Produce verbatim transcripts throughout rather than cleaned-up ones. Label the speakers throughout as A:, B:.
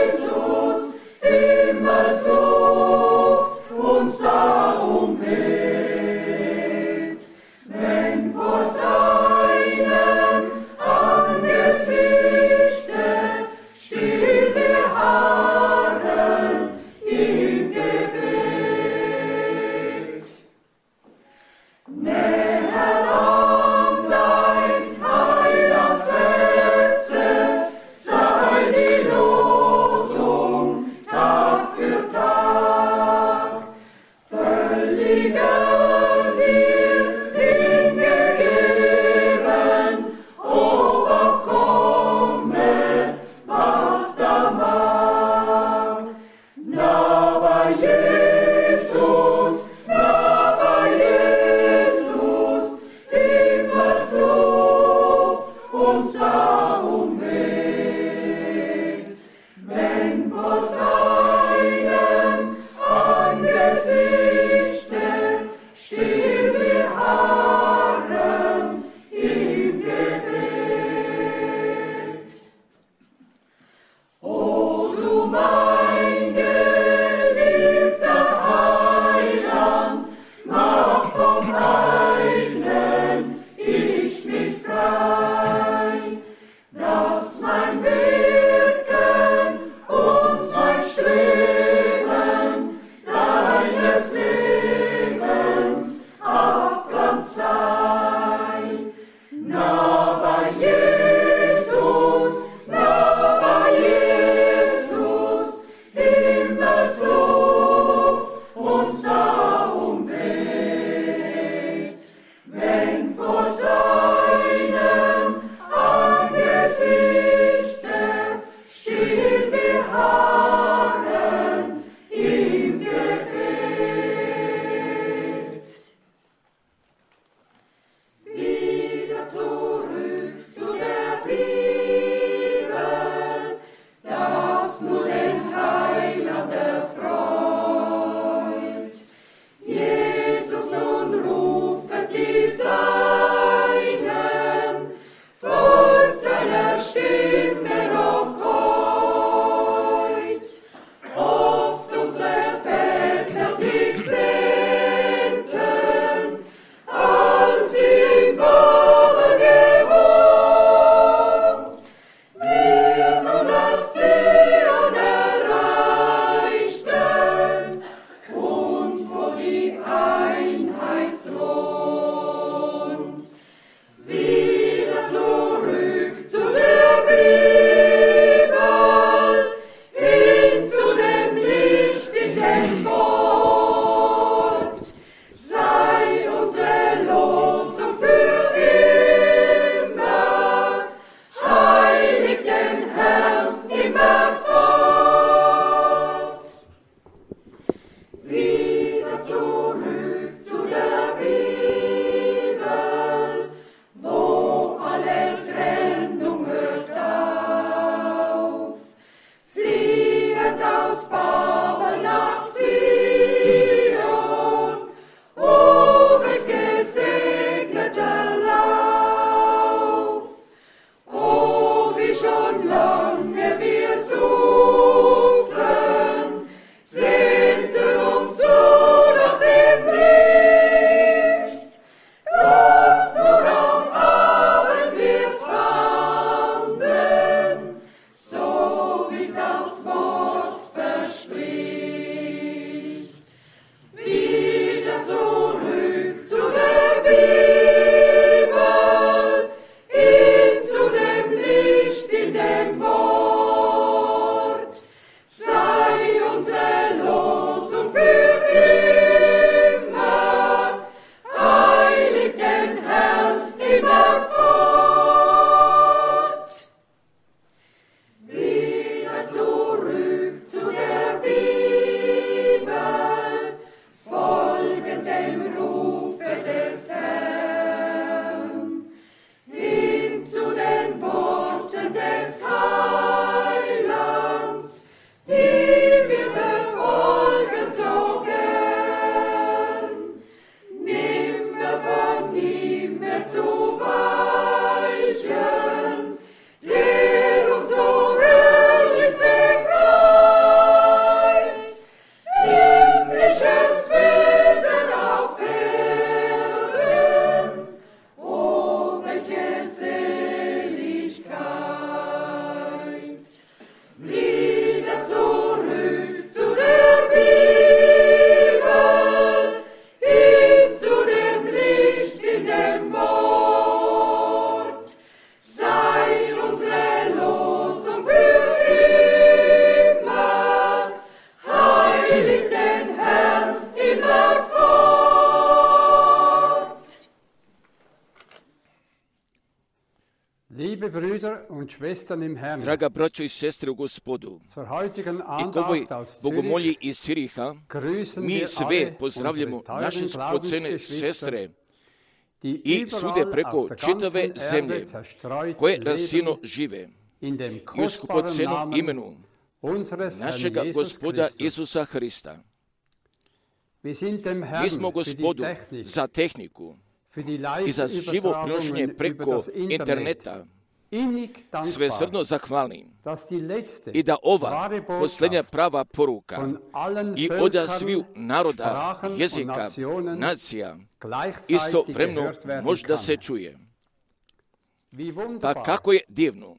A: Jesus, immer so. Liebe Brüder und Schwestern im Herrn,
B: Draga braćo i sestre u Gospodu,
A: zur heutigen
B: i k ovoj
A: Andacht aus Zürich
B: bogomolji iz Ciriha,
A: grüßen
B: mi
A: wir
B: sve
A: alle
B: pozdravljamo
A: unsere
B: naše
A: teuren
B: skupocene
A: Glaubensgeschwister,
B: sestre
A: die
B: i svude
A: überall
B: preko
A: auf der
B: čitave
A: ganzen
B: zemlje,
A: Erde zerstreut
B: koje
A: leben
B: rasijeno žive
A: in dem
B: i u
A: kostbaren
B: skupocenom
A: Namen
B: imenu
A: unseres Herrn
B: našega
A: Jesus
B: Gospoda
A: Christus.
B: Isusa Hrista.
A: Wir sind dem
B: Mi
A: Herrn
B: smo
A: für die
B: Gospodu
A: Technik,
B: za tehniku
A: für die
B: i za živo prenošenje
A: Live-Übertragungen über
B: preko
A: das Internet
B: interneta
A: innig
B: sve
A: dankbar,
B: srdno zahvalni
A: dass die letzte
B: i da ova
A: wahre
B: posljednja
A: Botschaft
B: prava poruka
A: von allen
B: i od
A: Völkern,
B: sviju naroda,
A: Sprachen und
B: jezika,
A: Nationen
B: nacija
A: gleichzeitig
B: istovremeno
A: gehört werden
B: može da
A: kann.
B: se čuje.
A: Wie
B: Pa
A: wunderbar,
B: kako je divno,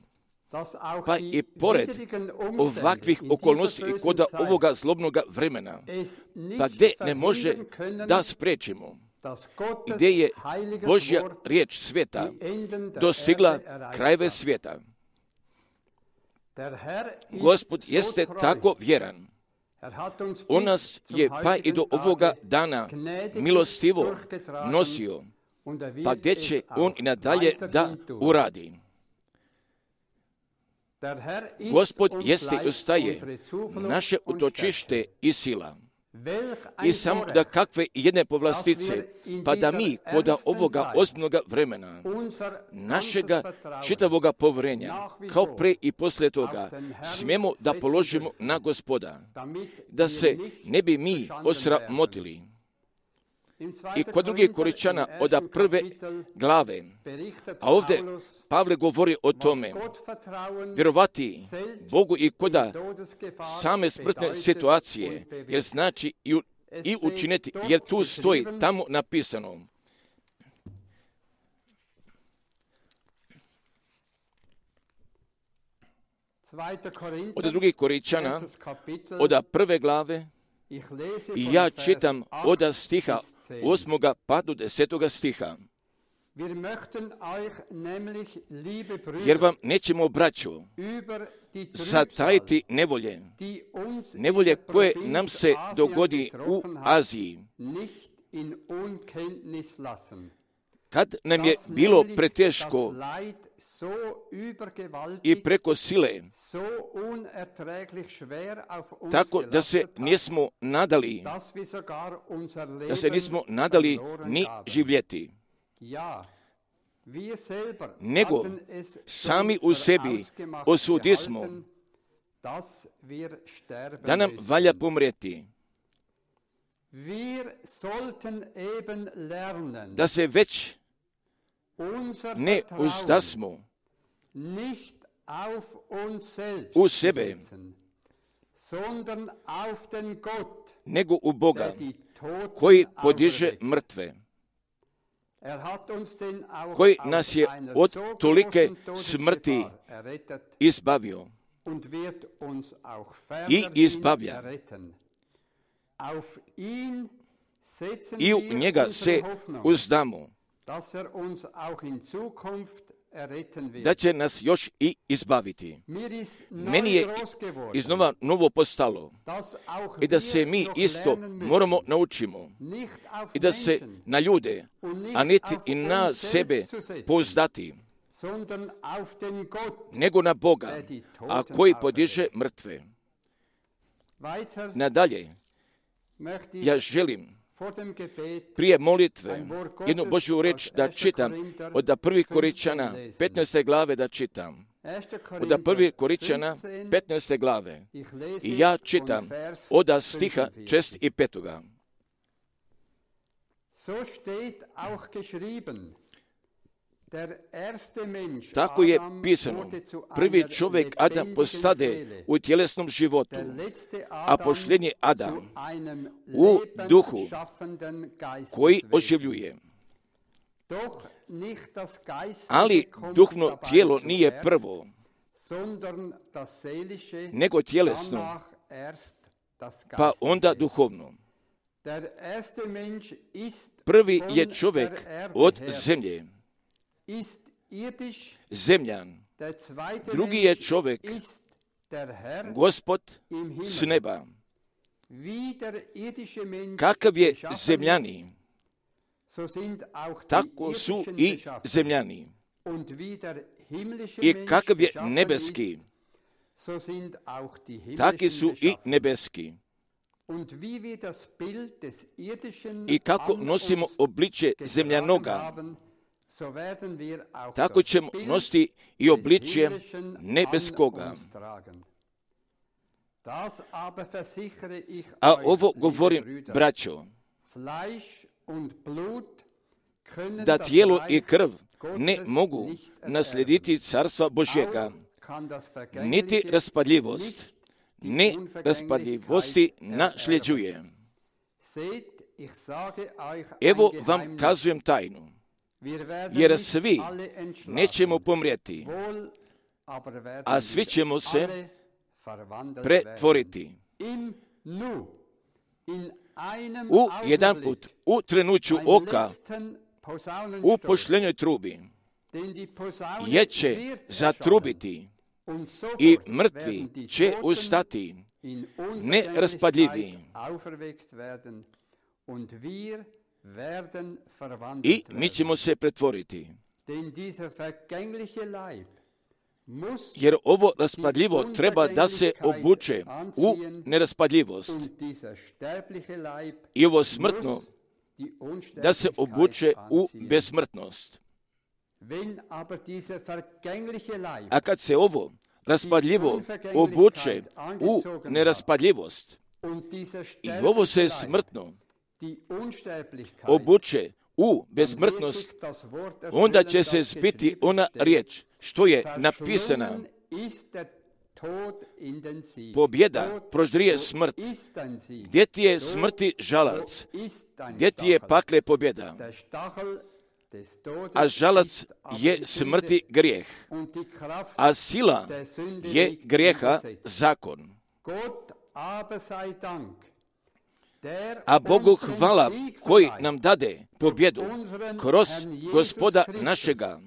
A: dass auch
B: pa
A: die
B: i pored
A: widrigen Umstände
B: ovakvih
A: in
B: okolnosti
A: dieser
B: i koda
A: bösen Zeit
B: ovoga zlobnoga vremena,
A: es nicht
B: pa gde ne može
A: verhindern können,
B: da sprečimo,
A: dass Gottes
B: gde je
A: heiliges
B: Božja
A: Wort
B: riječ sveta
A: die Enden der
B: dostigla
A: Erde erreicht
B: krajeve
A: hat.
B: svijeta.
A: Der Herr ist
B: Gospod
A: so
B: jeste
A: treu.
B: tako vjeran.
A: Er hat uns
B: On
A: bis
B: nas
A: zum
B: je pa i do
A: heutigen
B: ovoga
A: Tage
B: dana
A: gnädig
B: milostivo
A: durchgetragen
B: nosio,
A: und er wird
B: pa gdje
A: es
B: će
A: auch
B: on i nadalje da
A: weiterhin tun.
B: uradi.
A: Der Herr ist
B: Gospod
A: uns
B: jeste i
A: leicht
B: ostaje
A: unsere Zuflucht
B: naše
A: und
B: utočište i sila.
A: Welch
B: I
A: ein
B: samo
A: Vorrecht,
B: da kakve jedne povlastice, pa da mi koda ovoga ozbiljnoga vremena,
A: unser
B: našega
A: ganzes Vertrauen
B: čitavoga povjerenja, kao pre i poslije toga, smijemo da položimo na Gospoda,
A: damit
B: da
A: wir
B: se
A: nicht
B: ne bi mi
A: verschanden
B: osramotili.
A: Im
B: I
A: zweiten
B: kod drugih
A: Korinther
B: Koričana
A: im
B: od
A: ersten
B: prve
A: Kapitel
B: glave,
A: berichtet
B: a ovdje
A: Paulus,
B: Pavle govori o tome,
A: was Gottvertrauen
B: vjerovati Bogu i koda
A: in Todesgefahr
B: same smrtne
A: bedeutet
B: situacije,
A: und bewirkt.
B: jer znači i, u- i učiniti, jer tu stoji tamo napisano.
A: Zweiter Korinther,
B: Od drugih Koričana,
A: erstes Kapitel,
B: od prve glave,
A: ich lese
B: i
A: von
B: ja
A: Vers
B: čitam od
A: acht
B: stiha
A: bis zehn.
B: osmoga pa do desetoga stiha.
A: Wir möchten euch nämlich, liebe Brüder,
B: Jer vam nećemo, braćo,
A: über die Trübsal,
B: zatajiti nevolje,
A: die uns in
B: nevolje
A: der
B: koje
A: Provinz
B: nam se
A: Asien
B: dogodi u
A: getroffen hat,
B: Aziji,
A: nicht in Unkenntnis lassen.
B: kad nam je
A: Dass
B: bilo
A: nämlich
B: preteško
A: das Leid so übergewaltig,
B: i preko sile,
A: so unerträglich schwer auf uns
B: tako da se
A: gelastet hat,
B: nismo nadali,
A: dass wir sogar unser Leben
B: da se nismo nadali
A: verloren
B: ni
A: gaben.
B: živjeti,
A: Ja, wir selber
B: nego
A: hatten es schon
B: sami u sebi
A: vorausgemacht
B: osudismo
A: gehalten, dass wir sterben
B: da nam
A: müssen.
B: valja pomrijeti,
A: Wir sollten eben lernen,
B: da se već
A: unser
B: ne
A: Vertrauen
B: uzdasmo
A: nicht auf uns selbst
B: u
A: zu
B: sebe,
A: setzen, sondern auf den Gott,
B: nego u Boga,
A: der die Toten
B: koji podiže
A: auferweckt.
B: mrtve,
A: Er hat uns denn auch
B: koji
A: aus
B: nas je
A: einer
B: od
A: so
B: tolike
A: großen
B: smrti
A: Todesgefahr errettet
B: izbavio
A: und wird uns auch
B: i
A: fernerhin
B: izbavlja.
A: erretten. Auf ihn setzen
B: I u
A: wir
B: njega se
A: unsere Hoffnung,
B: uzdamo,
A: dass er uns auch in Zukunft erretten wird.
B: da će nas još i izbaviti.
A: Mir ist
B: Meni
A: neu
B: je
A: groß geworden,
B: iznova novo postalo
A: dass auch
B: i da se
A: wir
B: mi
A: noch
B: isto
A: lernen müssen,
B: moramo naučimo
A: nicht auf
B: i da se
A: Menschen,
B: na ljude,
A: und nicht
B: a niti
A: auf
B: i
A: uns
B: na
A: selbst
B: sebe
A: zu setzen,
B: pouzdati,
A: sondern auf den Gott.
B: nego na Boga, a koji podiže mrtve.
A: Weiter
B: Nadalje,
A: möchte ich
B: ja želim
A: vor dem Gebet
B: prije molitve jednu Božju reč da čitam od prvih Koričana petnaeste glave da čitam.
A: erster
B: Od
A: Korinther
B: prvih Koričana
A: fünfzehn,
B: petnaeste glave.
A: ich lese
B: I ja
A: von
B: čitam
A: Vers
B: od stiha
A: fünfundvierzig.
B: šest i petoga.
A: So steht auch geschrieben, der erste Mensch,
B: Tako je
A: Adam,
B: pisano,
A: wurde zu
B: prvi
A: einer
B: čovjek Adam
A: lebendigen
B: postade
A: Seele.
B: u tjelesnom životu,
A: Der letzte
B: a
A: Adam
B: posljednji
A: zu
B: Adam
A: einem
B: u duhu
A: lebensschaffenden
B: koji
A: Geisteswesen.
B: oživljuje.
A: Doch nicht das geistige
B: Ali
A: kommt
B: duhno
A: dabei
B: tijelo nije
A: zuerst,
B: prvo,
A: sondern das seelische,
B: nego tjelesno,
A: danach erst das
B: pa
A: geistige.
B: onda duhovno.
A: Der erste Mensch ist
B: Prvi
A: von
B: je čovjek
A: der Erde
B: od
A: her,
B: zemlje,
A: ist irdisch,
B: zemljan.
A: der zweite
B: Drugi je
A: Mensch
B: čovjek,
A: ist der Herr
B: Gospod
A: im Himmel.
B: s neba.
A: Wie der irdische Mensch
B: Kakav je
A: geschaffen
B: zemljani,
A: ist, so sind auch die
B: tako su
A: irdischen
B: i
A: geschaffen.
B: zemljani.
A: Und wie der
B: i kakav je nebeski, taki su i nebeski. I kako nosimo obličje zemljanoga, tako ćemo nositi i obličje nebeskoga. A ovo govorim, braćo, da tijelo i krv ne mogu naslijediti carstva Božjega, niti raspadljivost, ne raspadljivosti nasljeđuje. Evo vam kazujem tajnu, jer svi nećemo pomrijeti, a svi ćemo se pretvoriti. U jedan put, u trenuću oka, u pošljenoj trubi, jer će zatrubiti i mrtvi će ustati, neraspadljivi. I mi ćemo se pretvoriti. Jer ovo raspadljivo treba da se obuče u neraspadljivost. I ovo smrtno da se obuče u besmrtnost. A kad se ovo raspadljivo obuče u neraspadljivost i ovo se smrtno obuče u besmrtnost, onda će se zbiti ona riječ što je napisana: pobjeda proždrije smrt. Gdje ti je smrti žalac? Gdje ti je pakle pobjeda? A žalac je smrti grijeh, a sila je grijeha zakon. A Bogu hvala koji nam dade pobjedu kroz Gospoda našega,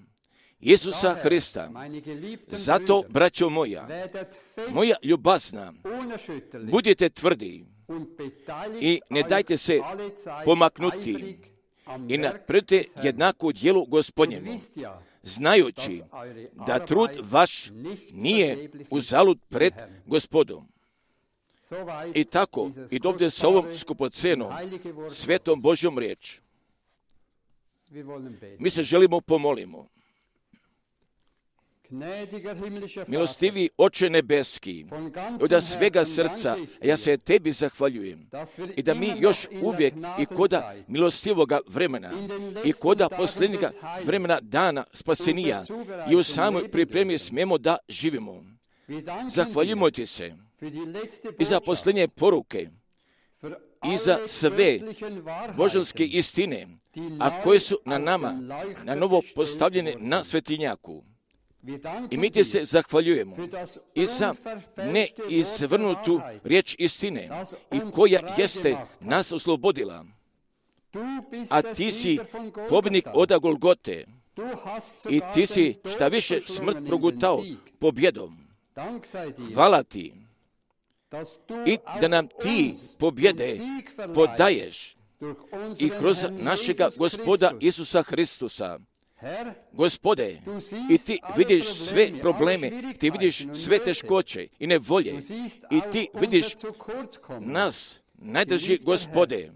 B: Isusa Hrista. Zato, braćo moja, moja ljubazna, budite tvrdi i ne dajte se pomaknuti i napravite jednaku djelu Gospodnjemu, znajući da trud vaš nije uzalud pred Gospodom. I tako, i dovde s ovom skupocenom, svetom Božjom riječ, mi se želimo pomolimo. Milostivi Oče nebeski, od svega srca ja se tebi zahvaljujem i da mi još uvijek i koda milostivoga vremena i koda posljednjega vremena dana spasenija i u samoj pripremi smemo da živimo. Zahvaljujemo ti se i za posljednje poruke i za sve božanske istine, a koje su na nama na novo postavljene na svetinjaku. I mi ti se zahvaljujemo i za neizvrnutu riječ istine i koja jeste nas oslobodila. A ti si pobjednik oda Golgote i ti si šta više smrt progutao pobjedom. Hvala ti i da nam ti pobjede podaješ i kroz našega Gospoda Isusa Hristusa. Gospode, i ti vidiš sve probleme, ti vidiš sve teškoće i nevolje, i ti vidiš nas, najdrži Gospode,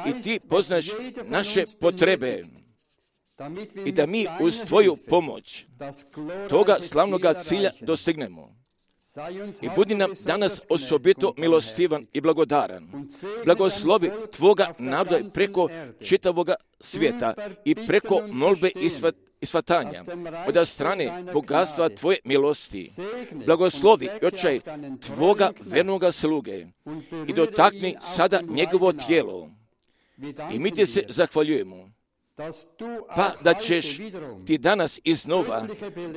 B: i ti poznaš naše potrebe, i da mi uz tvoju pomoć toga slavnoga cilja dostignemo. I budi nam danas osobito milostivan i blagodaran. Blagoslovi tvoga naroda preko čitavoga svijeta i preko molbe i svatanja od strane bogatstva tvoje milosti. Blagoslovi, Oče, tvoga vernoga sluge i dotakni sada njegovo tijelo. I mi ti se zahvaljujemo. Pa da ćeš ti danas iznova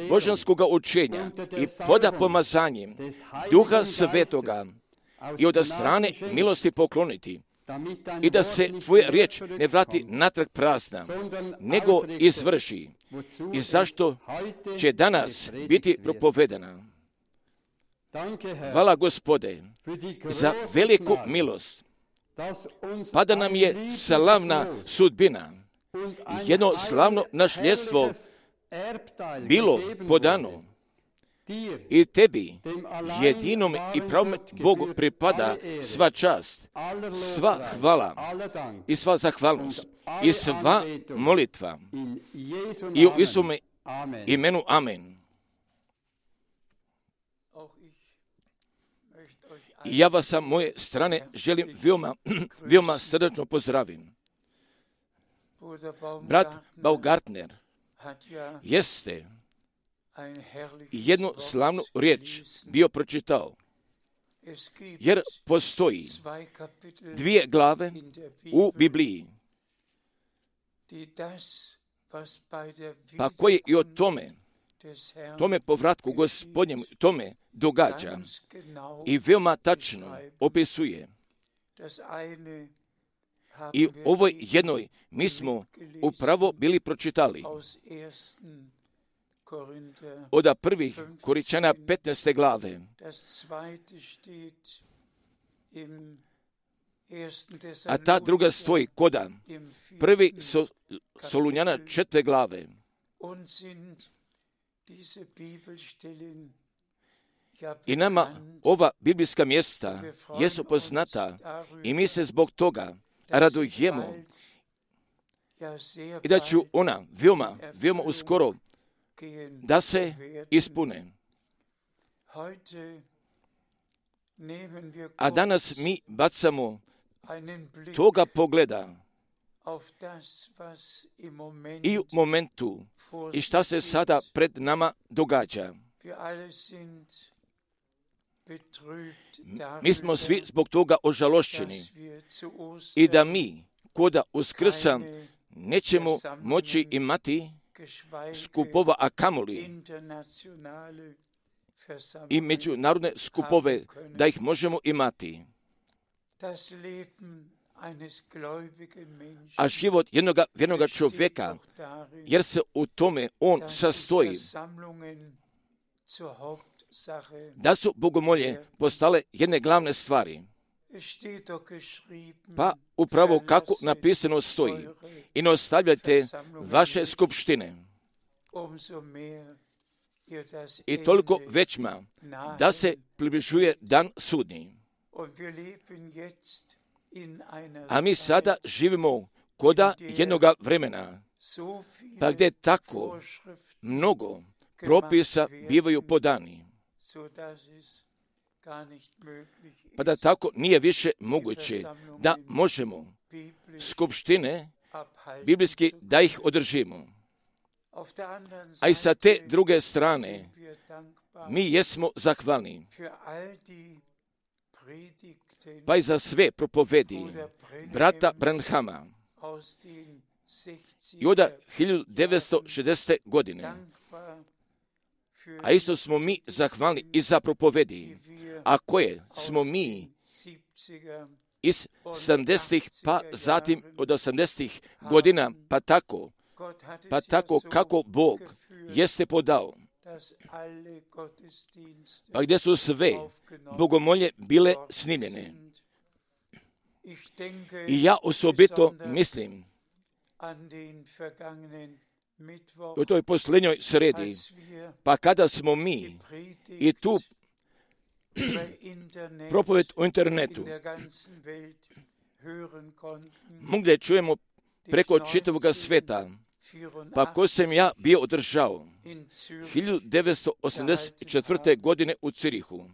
B: božanskoga učenja i poda pomazanjem Duha Svetoga i od strane milosti pokloniti i da se tvoja riječ ne vrati natrag prazna, nego izvrši. I zašto će danas biti propovedana? Hvala Gospode za veliku milost, pa da nam je slavna sudbina, jedno slavno nasljedstvo bilo podano i tebi, jedinom i pravom Bogu pripada sva čast, sva hvala i sva zahvalnost i sva molitva i u Isume imenu Amen. I ja vas sa moje strane želim veoma, veoma srdačno pozdravim. Brat Baumgartner jeste jednu slavnu riječ bio pročitao, jer postoji dvije glave u Bibliji, pa koje i o tome, tome povratku Gospodnjem, tome događa i veoma tačno opisuje. I u ovoj jednoj mi smo upravo bili pročitali od prvih Korinčana petnaeste glave, a ta druga stoji koda prvi Solunjana četvrte glave. I nama ova biblijska mjesta jesu poznata i mi se zbog toga radujemo i da ću ona veoma, veoma uskoro da se ispune. A danas mi bacamo toga pogleda i u momentu i šta se sada pred nama događa. Mi smo svi zbog toga ožalošćeni i da mi koda Uskrsa nećemo moći imati skupova, a kamoli i međunarodne skupove, da ih možemo imati. A život jednog vjernoga čovjeka, jer se u tome on sastoji, da su bogomolje postale jedne glavne stvari. Pa upravo kako napisano stoji, i ne ostavljajte vaše skupštine. I toliko većma da se približuje dan sudnji. A mi sada živimo koda jednoga vremena, pa gdje tako mnogo propisa bivaju podani, pa da tako nije više moguće da možemo skupštine biblijski da ih održimo. A i sa te druge strane mi jesmo zahvalni, pa i za sve propovedi brata Branhama i od hiljadu devetsto šezdesete. godine. A isto smo mi zahvalni i za propovedi, a koje smo mi iz sedamdesetih pa zatim od osamdesetih godina, pa tako, pa tako kako Bog jeste podao, pa gdje su sve bogomolje bile snimljene. I ja osobito mislim u toj posljednjoj sredi, pa kada smo mi i tu propoved u internetu mogli čujemo preko čitavog sveta, pa ko sam ja bio održao hiljadu devetsto osamdeset četvrte. godine u Cirihu.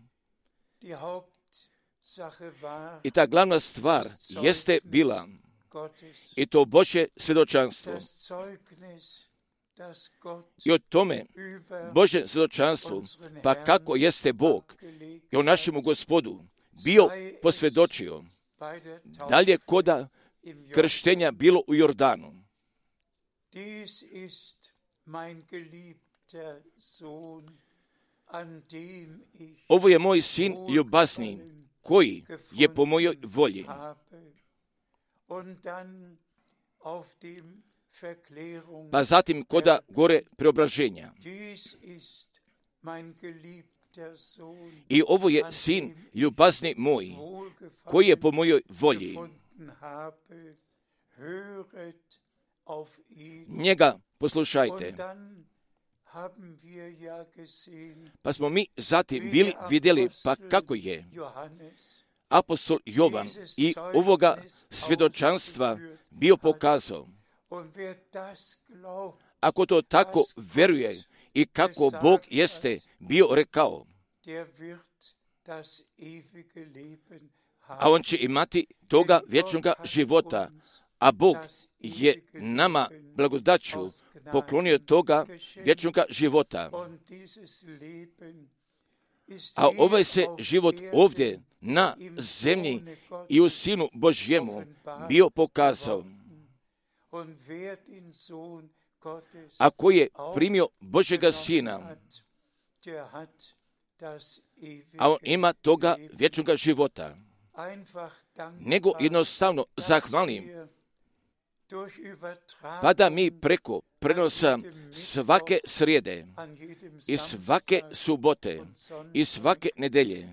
B: I ta glavna stvar jeste bila i to Božje svjedočanstvo. I o tome Božjem svjedočanstvu, pa kako jeste Bog i o našemu Gospodu bio posvjedočio, dalje koda krštenja bilo u Jordanu. Ovo je moj sin ljubazni, koji je po mojoj volji. Pa zatim koda gore preobraženja. I ovo je sin ljubazni moj, koji je po mojoj volji. Njega poslušajte. Pa smo mi zatim bili vidjeli pa kako je apostol Jovan i ovoga svjedočanstva bio pokazao. Ako to tako veruje i kako Bog jeste bio rekao, a on će imati toga vječnoga života, a Bog je nama blagodaću poklonio toga vječnoga života. A ovaj se život ovdje na zemlji i u Sinu Božjemu bio pokazao. Ako je primio Božjega Sina, a on ima toga vječnoga života, nego jednostavno zahvalim, pa da mi preko prenosa svake srijede i svake subote i svake nedelje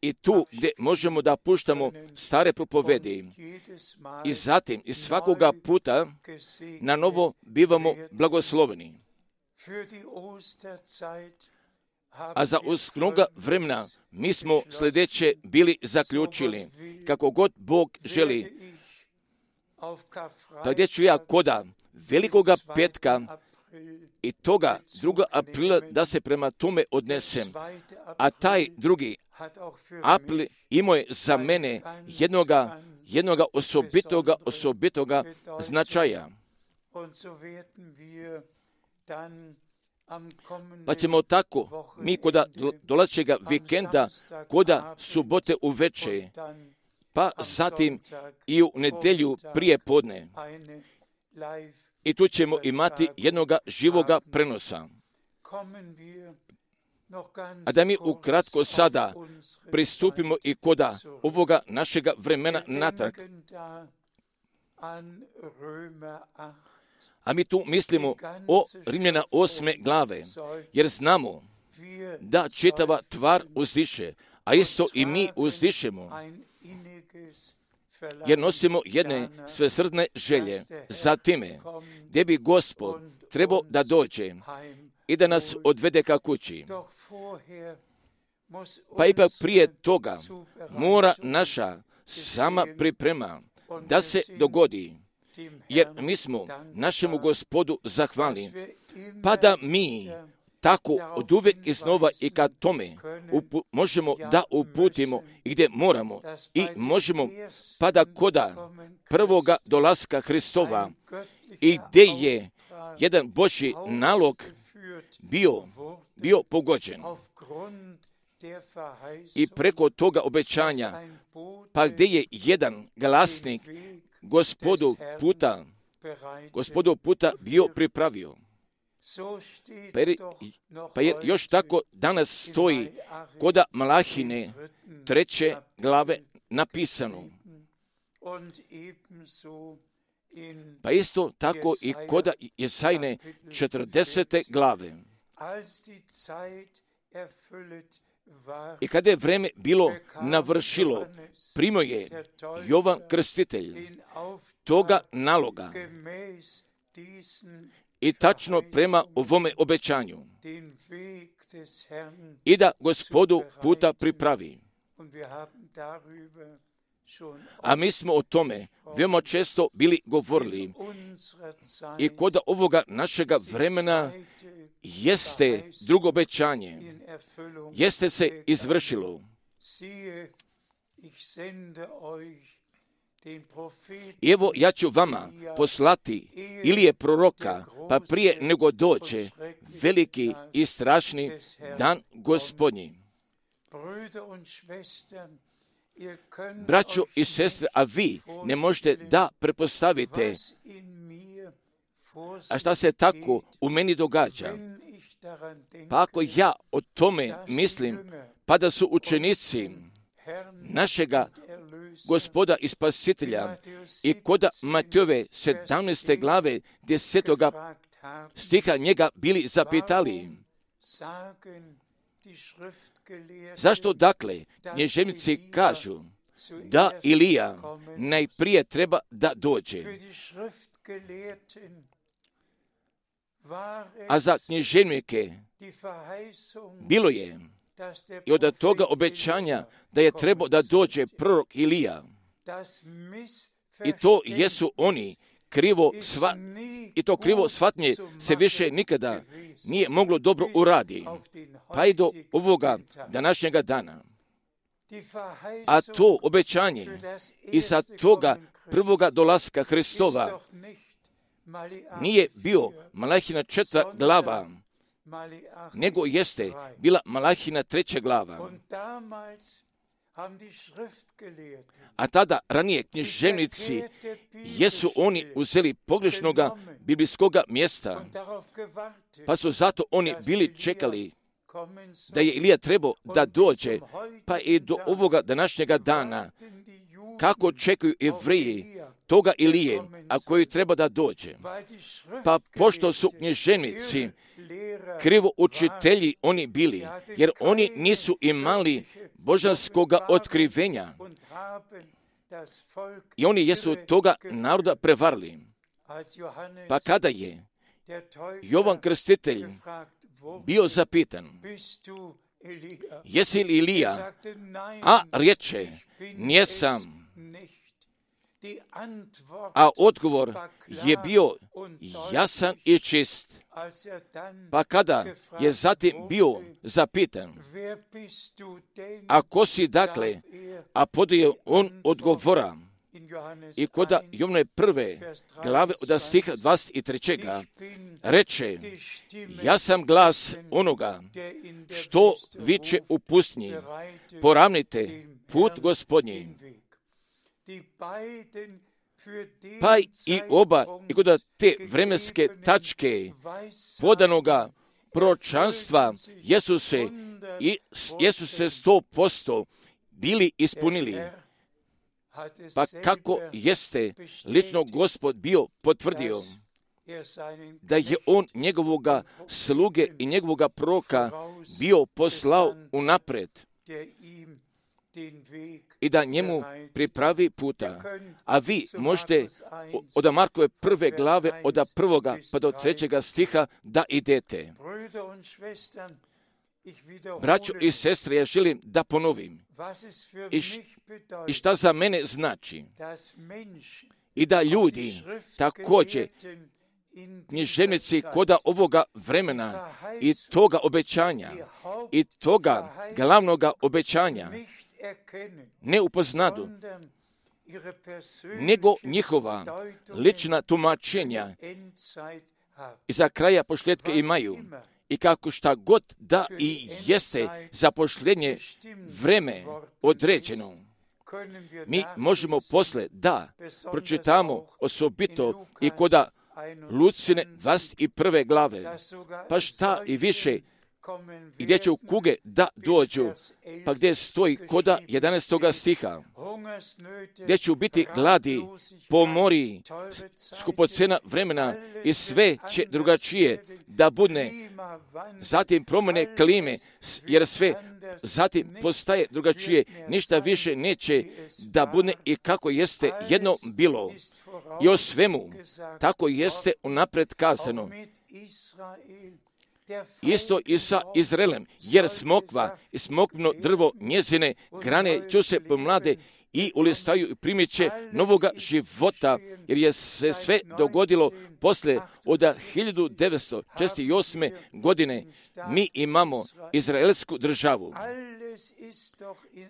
B: i tu gdje možemo da puštamo stare propovedi i zatim i svakoga puta na novo bivamo blagosloveni. A za usknoga vremena mi smo sljedeće bili zaključili, kako god Bog želi. Pa gdje ću ja koda velikoga petka i toga druga aprila da se prema tome odnesem. A taj drugi april imao je za mene jednoga, jednoga osobitoga, osobitoga značaja. Pa ćemo tako, mi koda dolazećega vikenda, koda subote uveče, pa zatim i u nedjelju prije podne. I tu ćemo imati jednoga živoga prenosa. A da mi ukratko sada pristupimo i koda ovoga našega vremena natrag. A mi tu mislimo o Rimljana osme glave, jer znamo da čitava tvar uzdiše, a isto i mi uzdišemo, jer nosimo jedne svesrdne želje za time, gdje bi Gospod trebao da dođe i da nas odvede ka kući. Pa ipak prije toga mora naša sama priprema da se dogodi, jer mi smo našemu Gospodu zahvalni, pa da mi tako od uvijek iznova i kad tome upu, možemo da uputimo i gdje moramo i možemo pa da koda prvoga dolaska Hristova i gdje je jedan Božji nalog bio, bio pogođen. I preko toga obećanja, pa gdje je jedan glasnik Gospodu puta, Gospodu puta bio pripravio. Pa jer, pa jer još tako danas stoji koda Malahine treće glave napisano. Pa isto tako i koda Jesajne četrdesete glave. I kada je vreme bilo navršilo, primio je Jovan Krstitelj toga naloga i tačno prema ovome obećanju i da Gospodu puta pripravi. A mi smo o tome veoma često bili govorili i kod ovoga našega vremena jeste drugo obećanje, jeste se izvršilo. I evo ja ću vama poslati Ilije proroka, pa prije nego dođe veliki i strašni dan Gospodnji. Braćo i sestre, a vi ne možete da prepostavite, a šta se tako u meni događa. Pa ako ja o tome mislim, pa da su učenici našega Gospoda i Spasitelja i koda Matejove sedamnaeste glave desetoga stiha njega bili zapitali, zašto dakle knježevnici kažu da Ilija najprije treba da dođe? A za književnike bilo je i od toga obećanja da je trebao da dođe prorok Ilija. I to jesu oni krivo sva, i to krivo shvatnje se više nikada nije moglo dobro uradi, pa i do ovoga današnjega dana. A to obećanje i sa toga prvoga dolaska Hristova nije bio Malahina četvrta glava, nego jeste bila Malahina treća glava. A tada ranije književnici jesu oni uzeli pogrešnoga biblijskoga mjesta, pa su zato oni bili čekali da je Ilija trebao da dođe, pa i do ovoga današnjega dana, kako čekaju Jevreji toga Ilije, a koji treba da dođe. Pa pošto su književnici krivo učitelji oni bili, jer oni nisu imali božanskoga otkrivenja i oni jesu toga naroda prevarili. Pa kada je Jovan Krstitelj bio zapitan, jesi li Ilija? A reče, njesam. A odgovor je bio jasan i čist. Pa kada je zatim bio zapitan, a ko si dakle, a podaje on odgovora, i koda Jovne prve glave od stiha dvadeset tri. reče, ja sam glas onoga što viče u pustinji, poravnite put Gospodnji. Pa i oba, i kod te vremenske tačke podanoga proročanstva jesu se, i, jesu se sto posto bili ispunili. Pa kako jeste lično Gospod bio potvrdio da je on njegovoga sluge i njegovoga proroka bio poslao unapred i da njemu pripravi puta. A vi možete od Markove prve glave, od prvoga pa do trećega stiha da idete. Braćo i sestre, ja želim da ponovim i, š, i šta za mene znači i da ljudi također književnici koda ovoga vremena i toga obećanja i toga glavnoga obećanja ne upoznadu, nego njihova lična tumačenja i za kraja posljedka imaju. I kako šta god da i jeste za posljednje vreme određeno, mi možemo posle da pročitamo osobito i koda Lucine dvadeset prve glave, pa šta i više, i gdje će u kuge da dođu, pa gdje stoji koda jedanaestoga stiha, gdje će biti gladi, pomori, skupocena vremena i sve će drugačije da bude. Zatim promjene klime, jer sve zatim postaje drugačije, ništa više neće da bude i kako jeste jedno bilo. I o svemu, tako jeste unapred kazano. Isto i sa Izraelem, jer smokva i smokvno drvo njezine grane će se pomlade i ulistaju i primit će novoga života, jer je se sve dogodilo posle od hiljadu devetsto šezdeset osme. godine. Mi imamo izraelsku državu.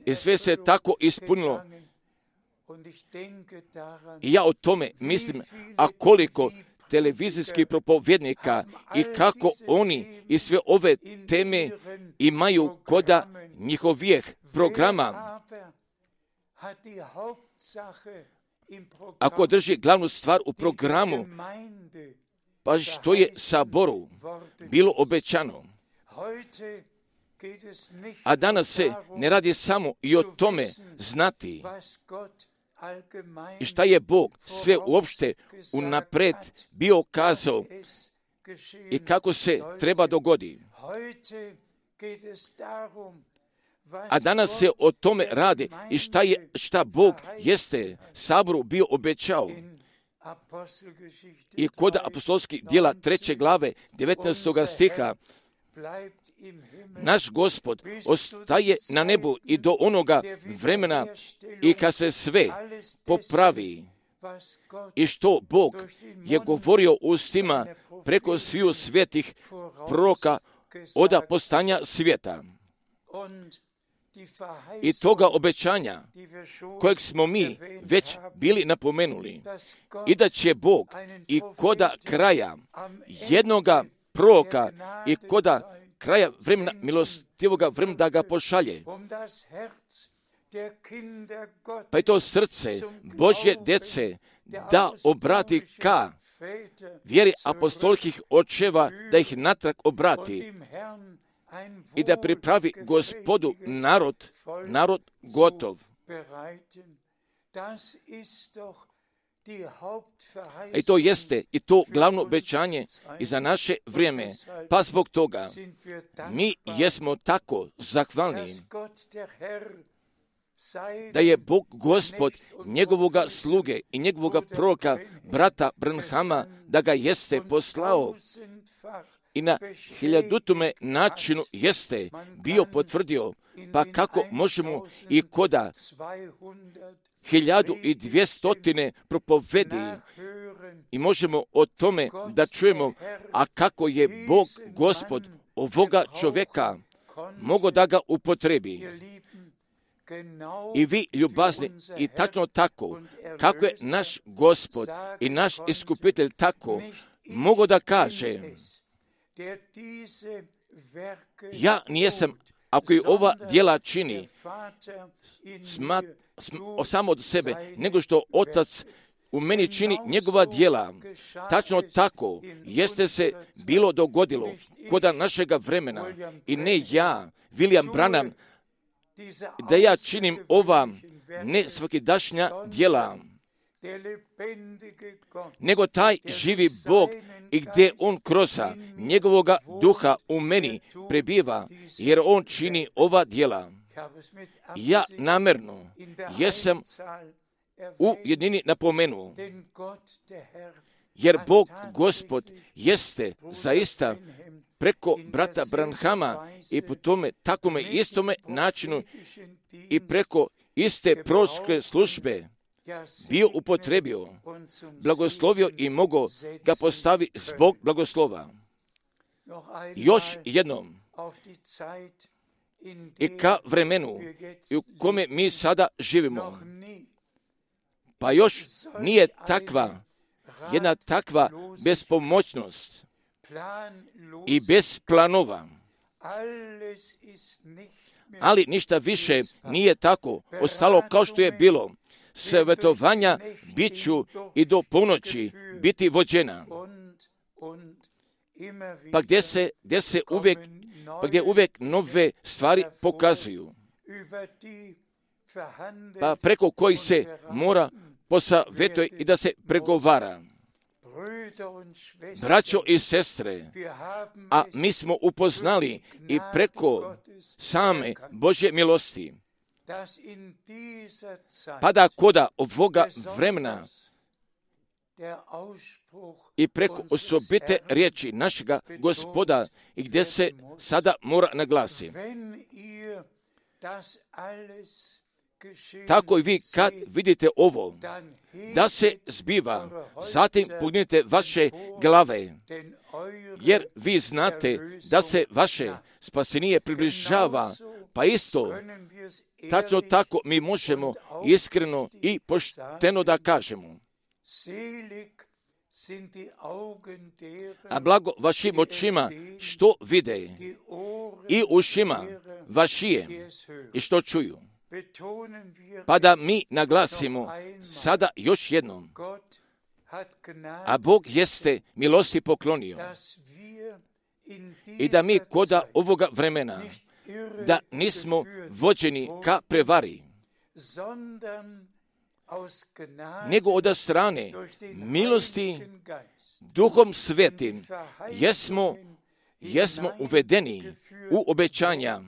B: I sve se tako ispunilo. I ja o tome mislim, a koliko televizijskih propovjednika i kako oni i sve ove teme imaju koda njihovih programa. Ako drži glavnu stvar u programu, pa što je saboru bilo obećano. A danas se ne radi samo i o tome znati i šta je Bog sve uopšte unapred bio kazao i kako se treba dogodi. A danas se o tome radi i šta, je, šta Bog jeste saboru bio obećao. I kod apostolskih djela treće glave devetnaestog stiha, naš Gospod ostaje na nebu i do onoga vremena i kad se sve popravi i što Bog je govorio ustima preko sviju svetih proroka od postanja svijeta. I toga obećanja kojeg smo mi već bili napomenuli i da će Bog i koda kraja jednoga proroka i koda kraja vremena milostivoga vremena da ga pošalje. Pa je to srce Božje djece da obrati ka vjeri apostolskih očeva, da ih natrag obrati i da pripravi Gospodu narod, narod gotov. I to jeste i to glavno obećanje i za naše vrijeme. Pa zbog toga mi jesmo tako zahvalni da je Bog Gospod njegovoga sluge i njegovoga proroka, brata Branhama, da ga jeste poslao i na hiljadutome načinu jeste bio potvrdio. Pa kako možemo i koda hiljadu i dvjestotine propovedi i možemo o tome da čujemo, a kako je Bog Gospod ovoga čovjeka mogao da ga upotrebi. I vi, ljubazni, i tačno tako, kako je naš Gospod i naš iskupitelj tako mogao da kaže, ja nijesam, ako i ova djela čini, smat, sm, samo od sebe, nego što Otac u meni čini njegova djela. Tačno tako jeste se bilo dogodilo koda našega vremena i ne ja, William Branham, da ja činim ova ne svakidašnja djela, nego taj živi Bog i gdje on kroz njegovoga duha u meni prebiva, jer on čini ova djela. Ja namjerno jesam u jednini napomenuo, jer Bog Gospod jeste zaista preko brata Branhama i po tome takome istome načinu i preko iste proročke službe bio upotrebio, blagoslovio i mogao ga postavi zbog blagoslova. Još jednom, i ka vremenu u kome mi sada živimo, pa još nije takva, jedna takva bespomoćnost i bez planova. Ali ništa više nije tako ostalo kao što je bilo. Savjetovanja bit ću i do ponoći biti vođena. Pa gdje se, gdje se uvijek, pa gdje uvijek nove stvari pokazuju. Pa preko koji se mora posavjetovati i da se pregovara. Braćo i sestre, a mi smo upoznali i preko same Božje milosti, pa da koda ovoga vremena i preko osobite riječi našega Gospoda i gdje se sada mora naglasiti. Tako i vi kad vidite ovo, da se zbiva, zatim pognite vaše glave, jer vi znate da se vaše spasenije približava, pa isto, tačno tako mi možemo iskreno i pošteno da kažemo. A blago vašim očima što vide i ušima vašije i što čuju. Pa da mi naglasimo sada još jednom, a Bog jeste milosti poklonio i da mi koda ovoga vremena da nismo vođeni ka prevari, nego od strane milosti Duhom Svetim jesmo, jesmo uvedeni u obećanja,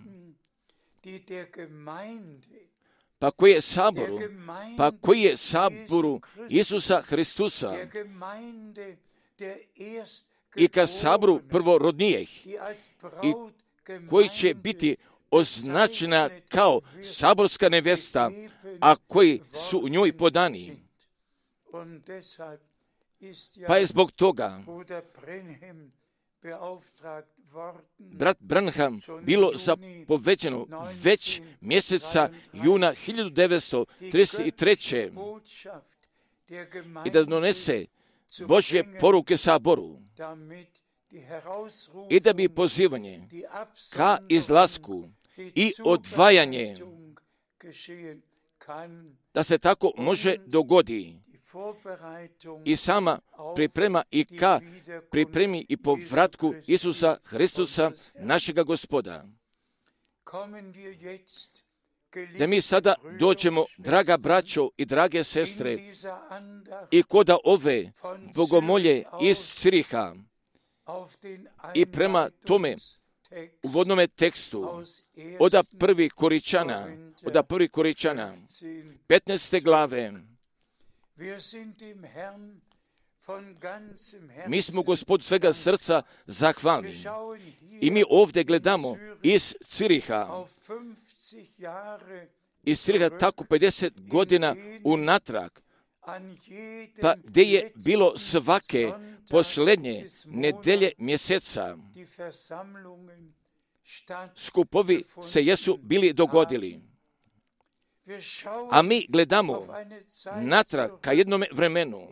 B: pa koji je saboru, pa koji je saboru Isusa Hristusa i ka saboru prvorodnijih i koji će biti označena kao saborska nevesta, a koji su u njoj podani. Pa je zbog toga brat Branham bilo zapovećeno već mjeseca juna hiljadu devetsto trideset treće. i da donese Božje poruke saboru i da bi pozivanje ka izlasku i odvajanje da se tako može dogodi i sama priprema i ka pripremi i povratku Isusa Hristusa, našega Gospoda. Da mi sada dođemo, draga braćo i drage sestre, i koda ove bogomolje iz Ciriha i prema tome uvodnome tekstu oda prvi Koričana, oda prvi Koričana, petnaeste glave, mi smo Gospodu svega srca zahvalni. I mi ovdje gledamo iz Ciriha, iz Ciriha tako pedeset godina unatrag, pa gdje je bilo svake posljednje nedelje mjeseca, skupovi se jesu bili dogodili. A mi gledamo natrag ka jednome vremenu,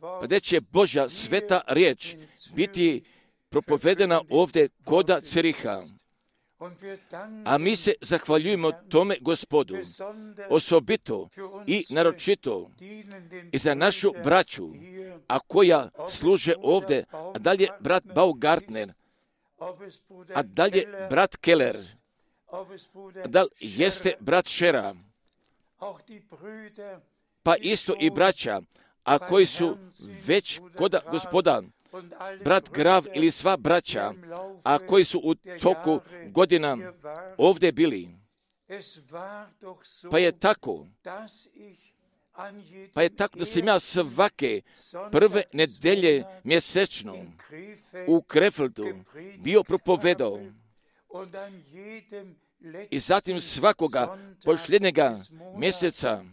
B: pa gdje će Božja sveta riječ biti propovedena ovdje koda Ciriha. A mi se zahvaljujemo tome Gospodu, osobito i naročito i za našu braću, a koja služe ovdje, a dalje brat Baumgartner, a dalje brat Keller, da li jeste brat Šera, pa isto i braća, a koji su već koda Gospoda, brat Grav ili sva braća, a koji su u toku godina ovdje bili. Pa je tako, pa je tako da sam ja svake prve nedelje mjesečno u Krefeldu bio propovedao i zatim svakoga posljednjega mjeseca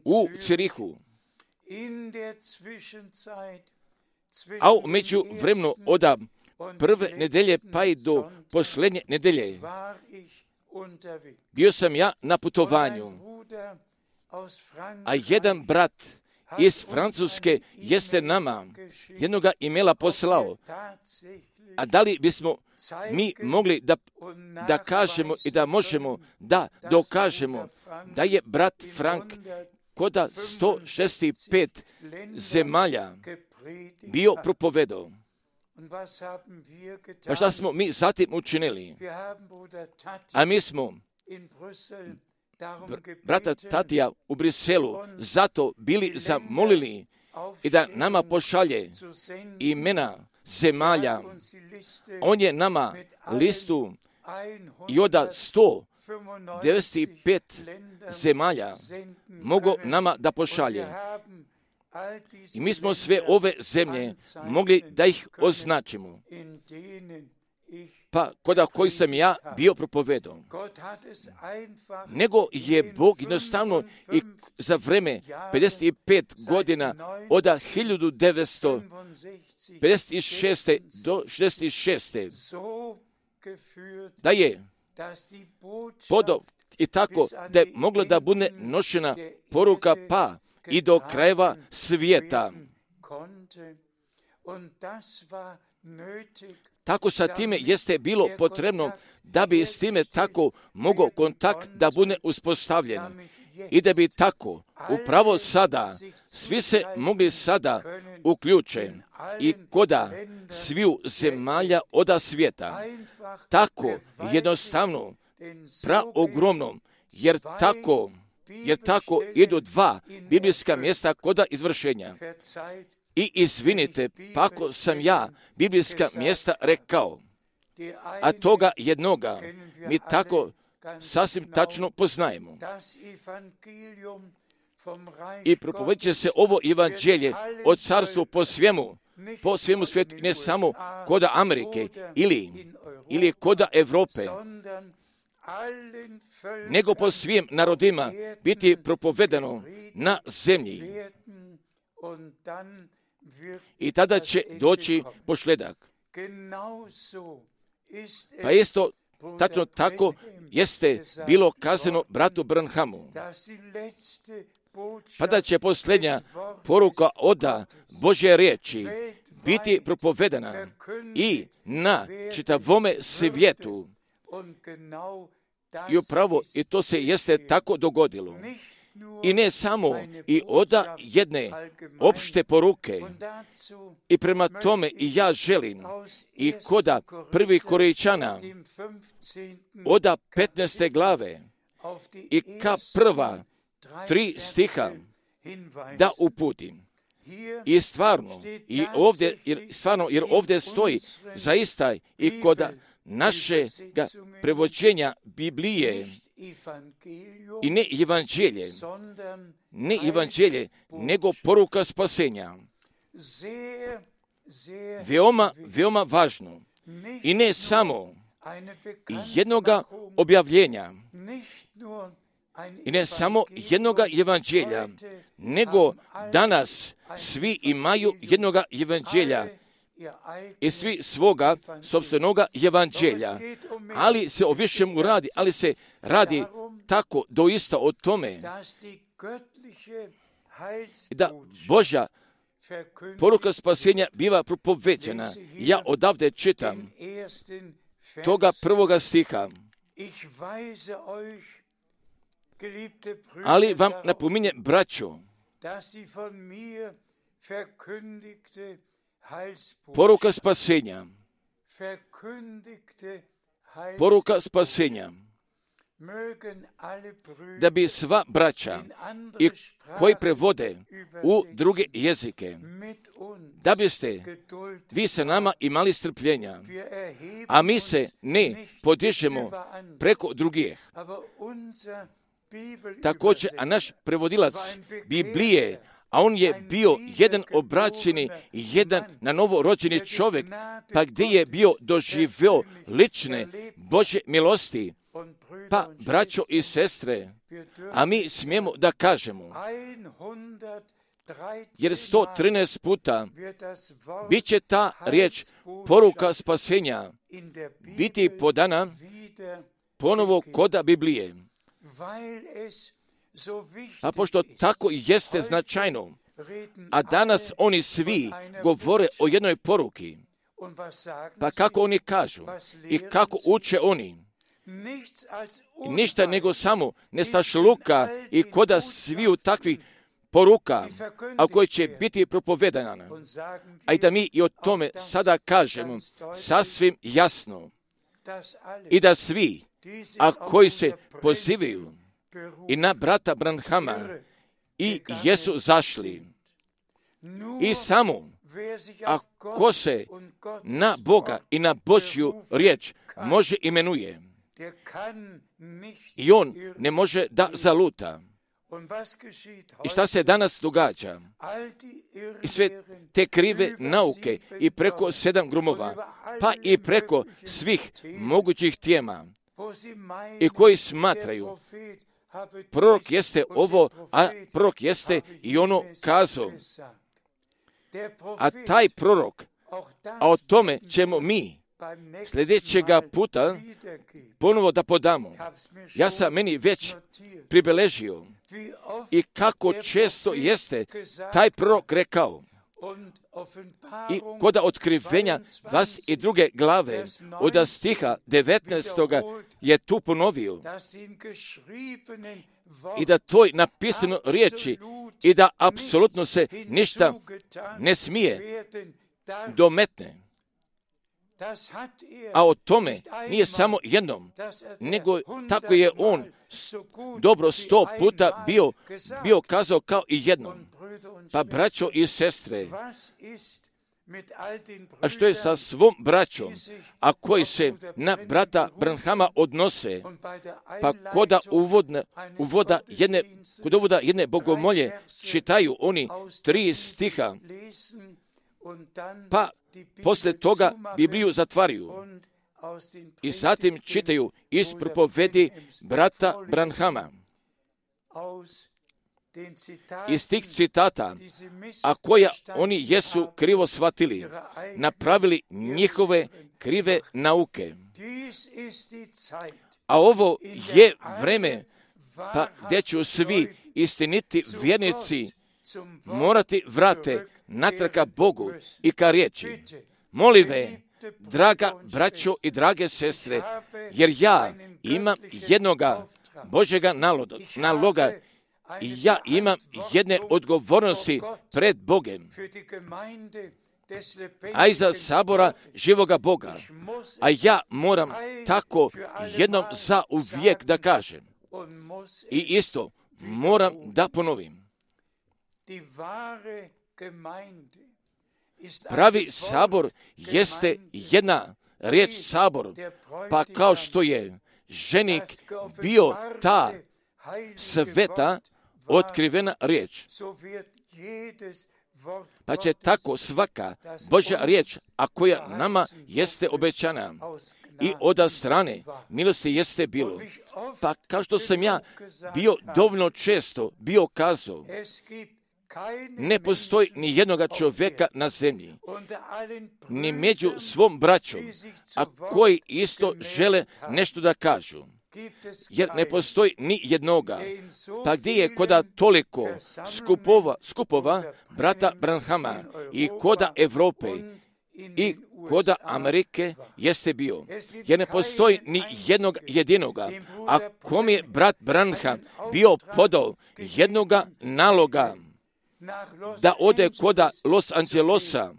B: u Cirihu. A u među vremenu oda prve nedelje pa i do posljednje nedelje bio sam ja na putovanju, a jedan brat iz Francuske jeste nama jednoga imela poslao. A da li bismo mi mogli da, da kažemo i da možemo da dokažemo da je brat Frank koda sto šezdeset pet zemalja bio propovedao. Pa šta smo mi zatim učinili? A mi smo brata Tatija u Briselu zato bili zamolili i da nama pošalje imena zemalja. On je nama listu i oda sto devedeset pet zemalja mogo nama da pošalje. I mi smo sve ove zemlje mogli da ih označimo. Pa koda koji sam ja bio propovedao. Nego je Bog jednostavno i za vreme pedeset pet godina oda hiljadu devetsto pedeset šeste do šezdeset šeste da je podov i tako da je mogla da bude nošena poruka pa i do krajeva svijeta. Tako sa time jeste bilo potrebno da bi s time tako mogao kontakt da bude uspostavljen i da bi tako upravo sada svi se mogli sada uključe i koda sviju zemalja oda svijeta. Tako jednostavno, praogromno, jer tako jer tako idu dva biblijska mjesta koda izvršenja. I izvinite, pa ako sam ja biblijska mjesta rekao, a toga jednoga mi tako sasvim tačno poznajemo. I propovedit će se ovo evanđelje od carstva po svemu, po svemu svijetu, ne samo koda Amerike ili, ili koda Evrope, nego po svim narodima biti propovedano na zemlji. I tada će doći pošljedak. Pa isto, tačno tako jeste bilo kazano bratu Branhamu. Pa da će posljednja poruka oda Božje riječi biti propovedana i na čitavome svijetu. I upravo i to se jeste tako dogodilo. I ne samo i oda jedne opšte poruke. I prema tome i ja želim i koda prvih Korinćana oda petnaeste glave i ka prva tri stiha da uputim. I stvarno, i ovdje, jer, stvarno, jer ovdje stoji zaista i koda našega prevođenja Biblije i ne evanđelje, ne evanđelje, nego poruka spasenja. Veoma, veoma važno. I ne samo jednoga objavljenja, i ne samo jednoga evanđelja, nego danas svi imaju jednoga evanđelja i svi svoga sopstvenoga evanđelja. Ali se o višemu radi, ali se radi tako doista o tome da Božja poruka spasenja biva propoveđena. Ja odavde čitam toga prvoga stiha. Ali vam napominje, braćo, poruka spasenja, poruka spasenja, da bi sva braća i koji prevode u druge jezike, da biste vi sa nama imali strpljenja, a mi se ne podižemo preko drugih. Također, a naš prevodilac Biblije, a on je bio jedan obraćeni, jedan na novo rođeni čovjek, pa gdje je bio doživio lične Božje milosti. Pa, braćo i sestre, a mi smijemo da kažemo, jer sto trinaest puta bit će ta riječ poruka spasenja biti podana ponovo koda Biblije. A pošto tako jeste značajno, a danas oni svi govore o jednoj poruki, pa kako oni kažu i kako uče oni, ništa nego samo nestašluka i koda sviju takvih poruka, a koje će biti propovedana. A i da mi i o tome sada kažemo sasvim jasno i da svi, a koji se pozivaju i na brata Branhama i jesu zašli, i samo ako se na Boga i na Božju riječ može imenuje, i on ne može da zaluta. I šta se danas događa? I sve te krive nauke i preko sedam grumova, pa i preko svih mogućih tema, i koji smatraju prorok jeste ovo, a prorok jeste i ono kazao. A taj prorok, a o tome ćemo mi sljedećega puta ponovo da podamo. Ja sam meni već pribeležio i kako često jeste taj prorok rekao. I koda otkrivenja vas i druge glave od stiha devetnaestoga je tu ponovio i da toj napisano riječi i da apsolutno se ništa ne smije dometne. A o tome nije samo jednom, nego tako je on dobro sto puta bio, bio kazao kao i jednom. Pa braćo i sestre, A što je sa svom braćom, a koji se na brata Branhama odnose, pa koda uvodna, uvoda jedne, kod uvoda jedne bogomolje čitaju oni tri stiha, pa posle toga Bibliju zatvaraju i zatim čitaju iz propovedi brata Branhama. Iz tih citata, a koja oni jesu krivo shvatili, napravili njihove krive nauke. A ovo je vreme, pa gdje ću svi istiniti vjernici morati vrate natraka Bogu i ka riječi. Molive, draga braćo i drage sestre, jer ja imam jednoga Božjega naloga i ja imam jedne odgovornosti pred Bogem, a iza sabora živoga Boga. A ja moram tako jednom za uvijek da kažem. I isto moram da ponovim. Pravi sabor jeste jedna riječ sabor, pa kao što je ženik bio ta sveta otkrivena riječ, pa će tako svaka Božja riječ, a koja nama jeste obećana i od strane milosti jeste bilo. Pa kao što sam ja bio dovoljno često bio kazao, ne postoji ni jednoga čovjeka na zemlji, ni među svom braćom, a koji isto žele nešto da kažu. Jer ne postoji ni jednoga. Pa gdje je koda toliko skupova, skupova brata Branhama i koda Evrope i koda Amerike jeste bio. Jer ne postoji ni jednog jedinoga. A kom je brat Branham bio podao jednoga naloga da ode koda Los Angelesa,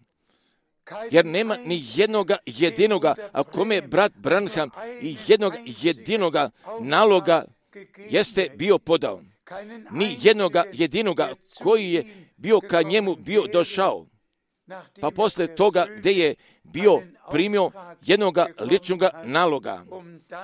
B: jer nema ni jednoga jedinoga, a kome brat Branham i jednog jedinoga naloga jeste bio podao. Ni jednoga jedinoga koji je bio ka njemu bio došao. Pa posle toga gdje je bio primio jednoga ličnoga naloga,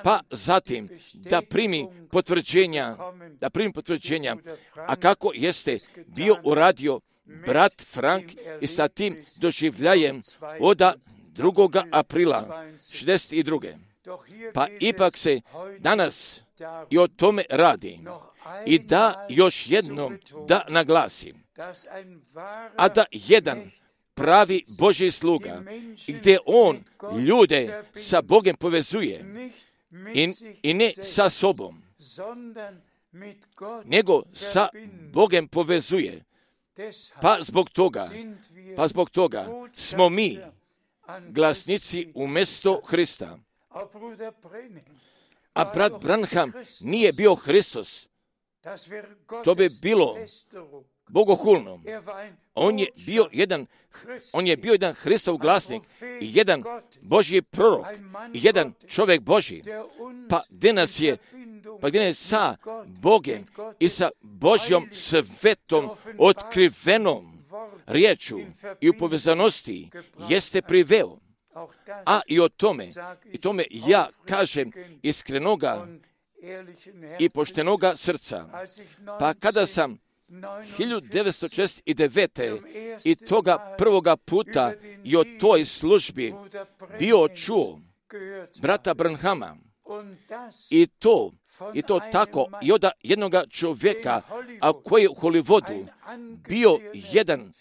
B: pa zatim da primi potvrđenja, da primi potvrđenja, a kako jeste bio uradio brat Frank i sa tim doživljajem od drugoga aprila šezdeset druge. Pa ipak se danas i o tome radi. I da još jednom da naglasim, a da jedan pravi Božji sluga, gdje on ljude sa Bogem povezuje i, i ne sa sobom, nego sa Bogem povezuje. Pa zbog toga, pa zbog toga smo mi glasnici umjesto Hrista. A brat Branham nije bio Hristos. To bi bilo bogohulno. On je bio jedan, on je bio jedan Hristov glasnik i jedan Božji prorok i jedan čovjek Božji. Pa gdje nas je, pa gdje nas sa Bogem i sa Božjom svetom otkrivenom riječu i u povezanosti jeste priveo. A i o tome, i tome ja kažem iskrenoga i poštenoga srca. Pa kada sam hiljadu devetsto šezdeset devete i toga prvoga puta i o toj službi bio čuo brata Branhama i to, i to tako i od jednoga čovjeka, a koji je u Hollywoodu bio jedan